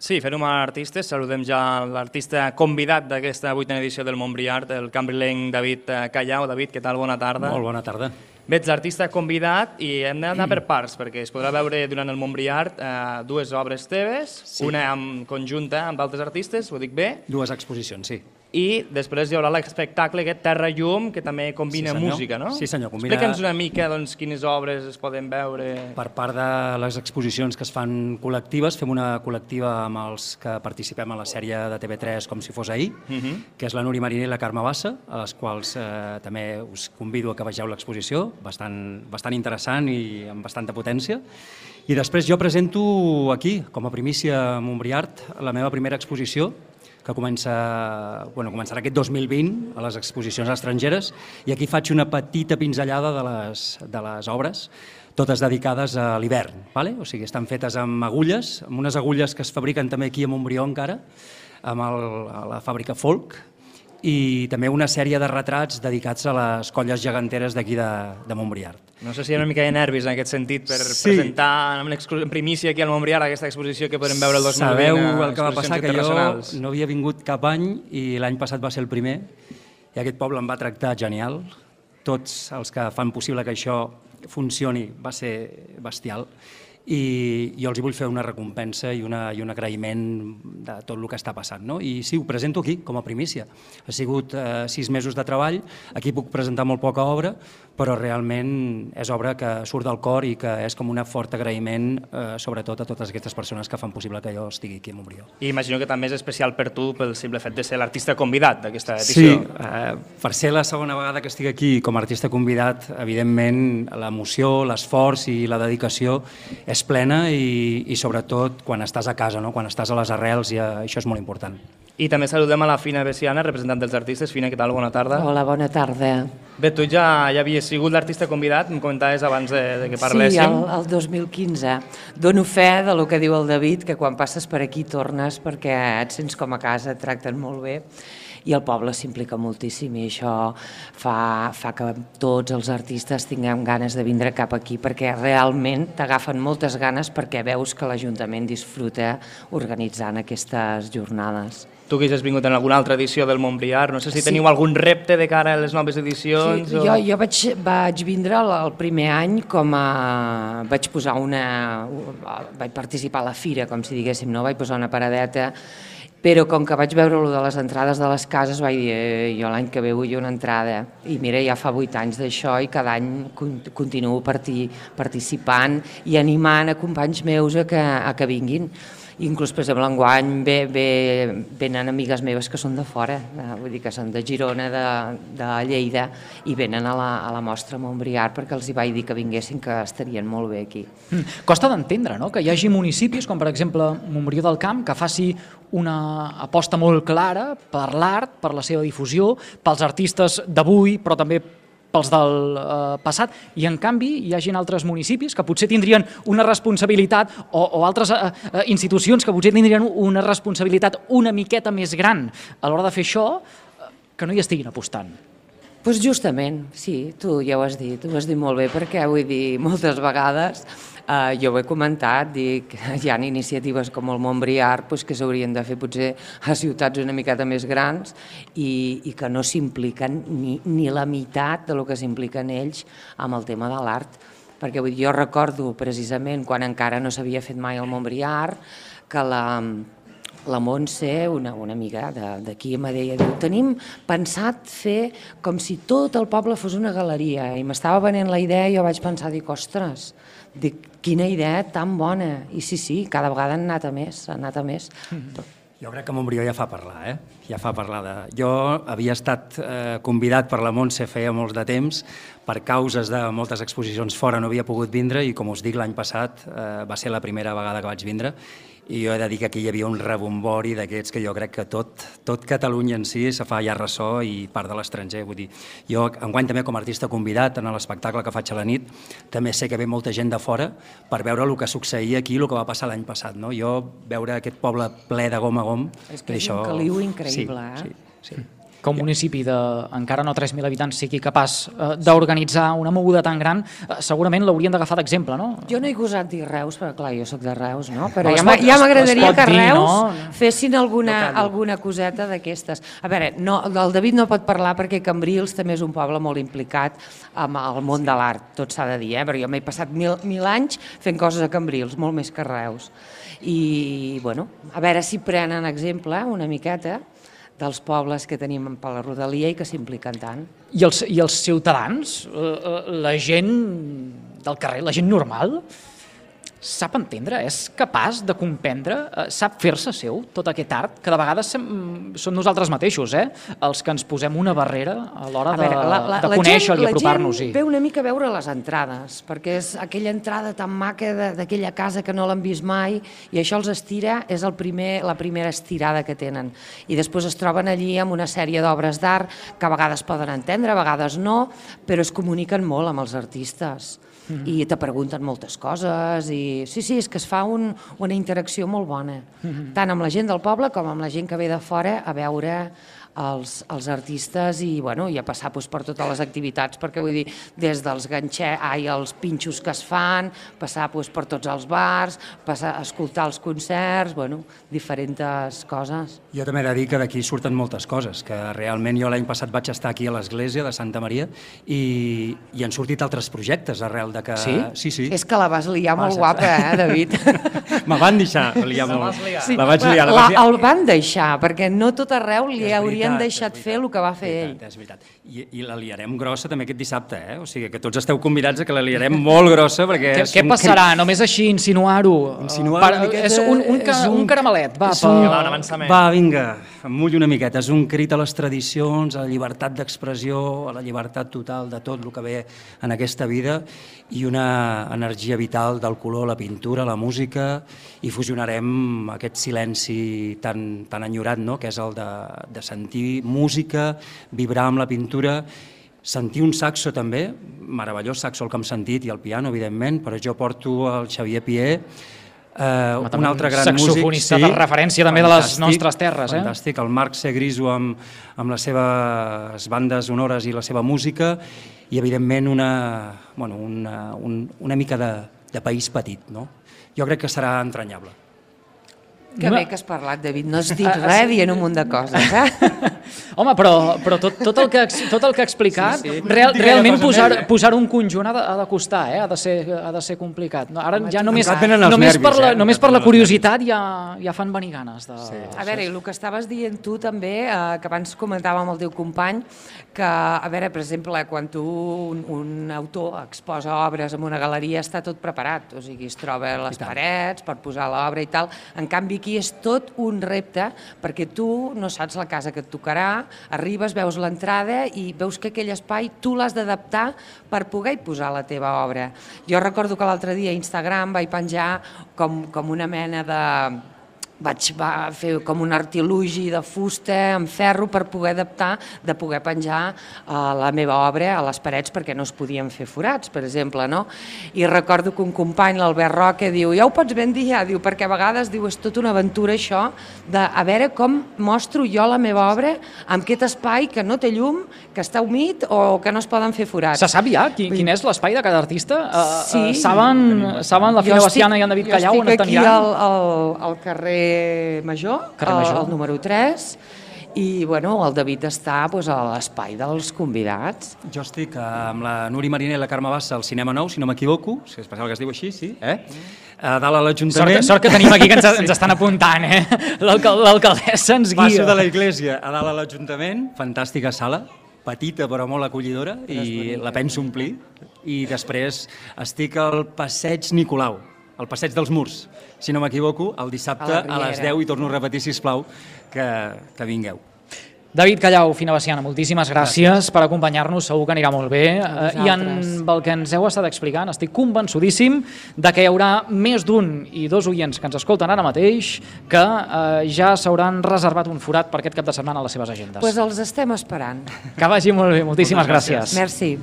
Sí, fem-ho amb artistes. Saludem ja l'artista convidat d'aquesta 8a edició del Montbriard, el cambrilenc David Callau. David, què tal? Bona tarda. Molt bona tarda. Bé, ets l'artista convidat i hem d'anar per parts, perquè es podrà veure durant el Montbriard dues obres teves, una conjunta amb altres artistes, ho dic bé? Dues exposicions, sí. I després hi haurà l'espectacle aquest Terra Llum, que també combina música, no? Sí, senyor. Combina... Explica'ns una mica quines obres es poden veure. Per part de les exposicions que es fan col·lectives, fem una col·lectiva amb els que participem a la sèrie de TV3 Com si fos ahir, que és la Núria Mariner i la Carme Bassa, a les quals també us convido a que vegeu l'exposició, bastant interessant i amb bastanta potència. I després jo presento aquí, com a primícia a Montbriard, la meva primera exposició, que començarà aquest 2020 a les exposicions estrangeres, i aquí faig una petita pinzellada de les obres, totes dedicades a l'hivern. O sigui, estan fetes amb agulles, amb unes agulles que es fabriquen també aquí a Montbrió encara, a la fàbrica Folk, i també una sèrie de retrats dedicats a les colles geganteres d'aquí de Montbriard. No sé si hi ha una mica de nervis en aquest sentit per presentar en primícia aquí al Montbriard aquesta exposició que podrem veure el 2020. Sabeu el que va passar, que jo no havia vingut cap any i l'any passat va ser el primer i aquest poble em va tractar genial. Tots els que fan possible que això funcioni va ser bestial. I jo els vull fer una recompensa i un agraïment de tot el que està passant. I sí, ho presento aquí, com a primícia. Ha sigut 6 mesos de treball, aquí puc presentar molt poca obra, però realment és obra que surt del cor i que és com un fort agraïment, sobretot a totes aquestes persones que fan possible que jo estigui aquí a Montbrió. I imagino que també és especial per tu pel simple fet de ser l'artista convidat d'aquesta edició. Sí, per ser la segona vegada que estic aquí com a artista convidat, evidentment l'emoció, l'esforç i la dedicació és plena i sobretot quan estàs a casa, quan estàs a les arrels, i això és molt important. I també saludem a la Fina Bessiana, representant dels artistes. Fina, què tal? Bona tarda. Hola, bona tarda. Bé, tu ja havies sigut l'artista convidat, em comentaves abans de que parléssim. Sí, el 2015. Dono fe del que diu el David, que quan passes per aquí tornes perquè et sents com a casa, et tracten molt bé. I el poble s'implica moltíssim i això fa que tots els artistes tinguem ganes de vindre cap aquí perquè realment t'agafen moltes ganes perquè veus que l'Ajuntament disfruta organitzant aquestes jornades. Tu que ja has vingut en alguna altra edició del Montbriard, no sé si teniu algun repte de cara a les noves edicions? Sí, jo vaig vindre el primer any vaig posar vaig participar a la fira, com si diguéssim, vaig posar una paradeta, però com que vaig veure de les entrades de les cases vaig dir, jo l'any que ve vull una entrada. I mira, ja fa 8 anys d'això i cada any continuo participant i animant a companys meus a que vinguin. Inclús, per exemple, enguany venen amigues meves que són de fora, vull dir que són de Girona, de Lleida, i venen a la mostra Montbriard perquè els hi vaig dir que vinguessin, que estarien molt bé aquí. Costa d'entendre, no?, que hi hagi municipis, com per exemple Montbrió del Camp, que faci una aposta molt clara per l'art, per la seva difusió, pels artistes d'avui, però també pels del passat, i en canvi hi hagin altres municipis que potser tindrien una responsabilitat o altres institucions que potser tindrien una responsabilitat una miqueta més gran a l'hora de fer això, que no hi estiguin apostant. Doncs justament, sí, tu ja ho has dit molt bé, perquè vull dir, moltes vegades jo ho he comentat, dic, hi ha iniciatives com el Montbriard que s'haurien de fer potser a ciutats una miqueta més grans i que no s'impliquen ni la meitat del que s'impliquen ells amb el tema de l'art. Perquè jo recordo precisament quan encara no s'havia fet mai el Montbriard que la Montse, una amiga d'aquí, em deia, tenim pensat fer com si tot el poble fos una galeria, i m'estava venent la idea i jo vaig pensar, dic, ostres, quina idea tan bona. I sí, cada vegada han anat a més. Jo crec que Montbrió ja fa parlar, ja fa parlar. Jo havia estat convidat per la Montse feia molts de temps, per causes de moltes exposicions fora no havia pogut vindre i, com us dic, l'any passat va ser la primera vegada que vaig vindre i jo he de dir que aquí hi havia un rebombori d'aquests que jo crec que tot Catalunya en si se fa ja ressò i part de l'estranger. Vull dir, jo enguany també com a artista convidat en l'espectacle que faig a la nit també sé que ve molta gent de fora per veure el que succeïa aquí, el que va passar l'any passat. Jo veure aquest poble ple de gom a gom... És que és un caliu increïble, Sí. que un municipi de encara no 3.000 habitants sigui capaç d'organitzar una moguda tan gran, segurament l'haurien d'agafar d'exemple, no? Jo no he gosat dir Reus, perquè clar, jo sóc de Reus, no? Però No, ja m'agradaria que Reus no? fessin alguna coseta d'aquestes. A veure, el David no pot parlar perquè Cambrils també és un poble molt implicat amb el món de l'art, tot s'ha de dir, perquè jo m'he passat mil anys fent coses a Cambrils, molt més que Reus. I, bueno, a veure si prenen exemple una miqueta dels pobles que tenim per la rodalia i que s'impliquen tant. I els ciutadans, la gent del carrer, la gent normal, sap entendre, és capaç de comprendre, sap fer-se seu tot aquest art, que de vegades som nosaltres mateixos, els que ens posem una barrera a l'hora de conèixer-lo i apropar-nos. La gent ve una mica a veure les entrades, perquè és aquella entrada tan maca d'aquella casa que no l'han vist mai, i això els estira, és la primera estirada que tenen. I després es troben allí amb una sèrie d'obres d'art que a vegades poden entendre, a vegades no, però es comuniquen molt amb els artistes. I te pregunten moltes coses i sí, és que es fa una interacció molt bona, tant amb la gent del poble com amb la gent que ve de fora a veure els artistes i a passar per totes les activitats, perquè vull dir, des dels els pinxos que es fan, passar per tots els bars, passar a escoltar els concerts, diferents coses. Jo també he de dir que d'aquí surten moltes coses, que realment jo l'any passat vaig estar aquí a l'església de Santa Maria i han sortit altres projectes arrel de que... Sí? Sí. És que la vas liar molt guapa, David? Me van deixar liar molt. Sí. La vaig liar. El van deixar, perquè no tot arreu li haurien deixat fer el que va fer ell. És veritat. I la liarem grossa també aquest dissabte, O sigui que tots esteu convidats a que la liarem molt grossa perquè... Què passarà? Només així insinuar-ho? Insinuar una miqueta... És un caramelet, va. Un avançament. Va, vinga, emmull una miqueta. És un crit a les tradicions, a la llibertat d'expressió, a la llibertat total de tot el que ve en aquesta vida i una energia vital del color, la pintura, la música, i fusionarem aquest silenci tan enyorat, que és el de sentir música, vibrar amb la pintura, sentir un saxo també, meravellós saxo el que hem sentit, i el piano, evidentment, però jo porto el Xavier Pié, un altre gran músic. Saxofonista de referència també de les nostres terres. Fantàstic, el Marc Segriso amb les seves bandes sonores i la seva música, i evidentment una mica de país petit. Jo crec que serà entranyable. Que bé que has parlat, David. No has dit res dient un munt de coses, Home, però tot el que ha explicat, realment posar un conjunt ha de costar, ha de ser complicat. Ara ja només per la curiositat ja fan venir ganes. A veure, i el que estaves dient tu també, que abans comentàvem amb el teu company, que, a veure, per exemple, quan un autor exposa obres en una galeria està tot preparat, o sigui, es troba les parets per posar l'obra i tal. En canvi, aquí és tot un repte, perquè tu no saps la casa que et tocarà, arribes, veus l'entrada i veus que aquell espai tu l'has d'adaptar per poder posar la teva obra. Jo recordo que l'altre dia a Instagram vaig penjar com una mena de... vaig fer com un artilugi de fusta amb ferro per poder adaptar, de poder penjar la meva obra a les parets perquè no es podien fer forats, per exemple, no? I recordo que un company, l'Albert Roque, diu, ja ho pots ben dir, diu, perquè a vegades diu, és tota una aventura això, de a veure com mostro jo la meva obra amb aquest espai que no té llum, que està humit o que no es poden fer forats. Se sap ja quin és l'espai de cada artista? Sí. Saben la Fina Baciana i en David Callau on estan aniran? Jo estic aquí al carrer Major, el número 3, i el David està a l'espai dels convidats. Jo estic amb la Núria Mariner i la Carme Bassa al Cinema Nou, si no m'equivoco, si és passat que es diu així, sí, a dalt a l'Ajuntament. Sort que tenim aquí que ens estan apuntant, l'alcaldessa ens guia. Passo de la Iglésia a dalt a l'Ajuntament, fantàstica sala, petita però molt acollidora, i la penso omplir, i després estic al Passeig Nicolau, al Passeig dels Murs, si no m'equivoco, el dissabte a les 10, i torno a repetir, sisplau, que vingueu. David Callau, Fina Baciana, moltíssimes gràcies per acompanyar-nos, segur que anirà molt bé. I amb el que ens heu estat explicant, estic convençudíssim de que hi haurà més d'un i dos oients que ens escolten ara mateix que ja s'hauran reservat un forat per aquest cap de setmana a les seves agendes. Doncs els estem esperant. Que vagi molt bé, moltíssimes gràcies. Merci.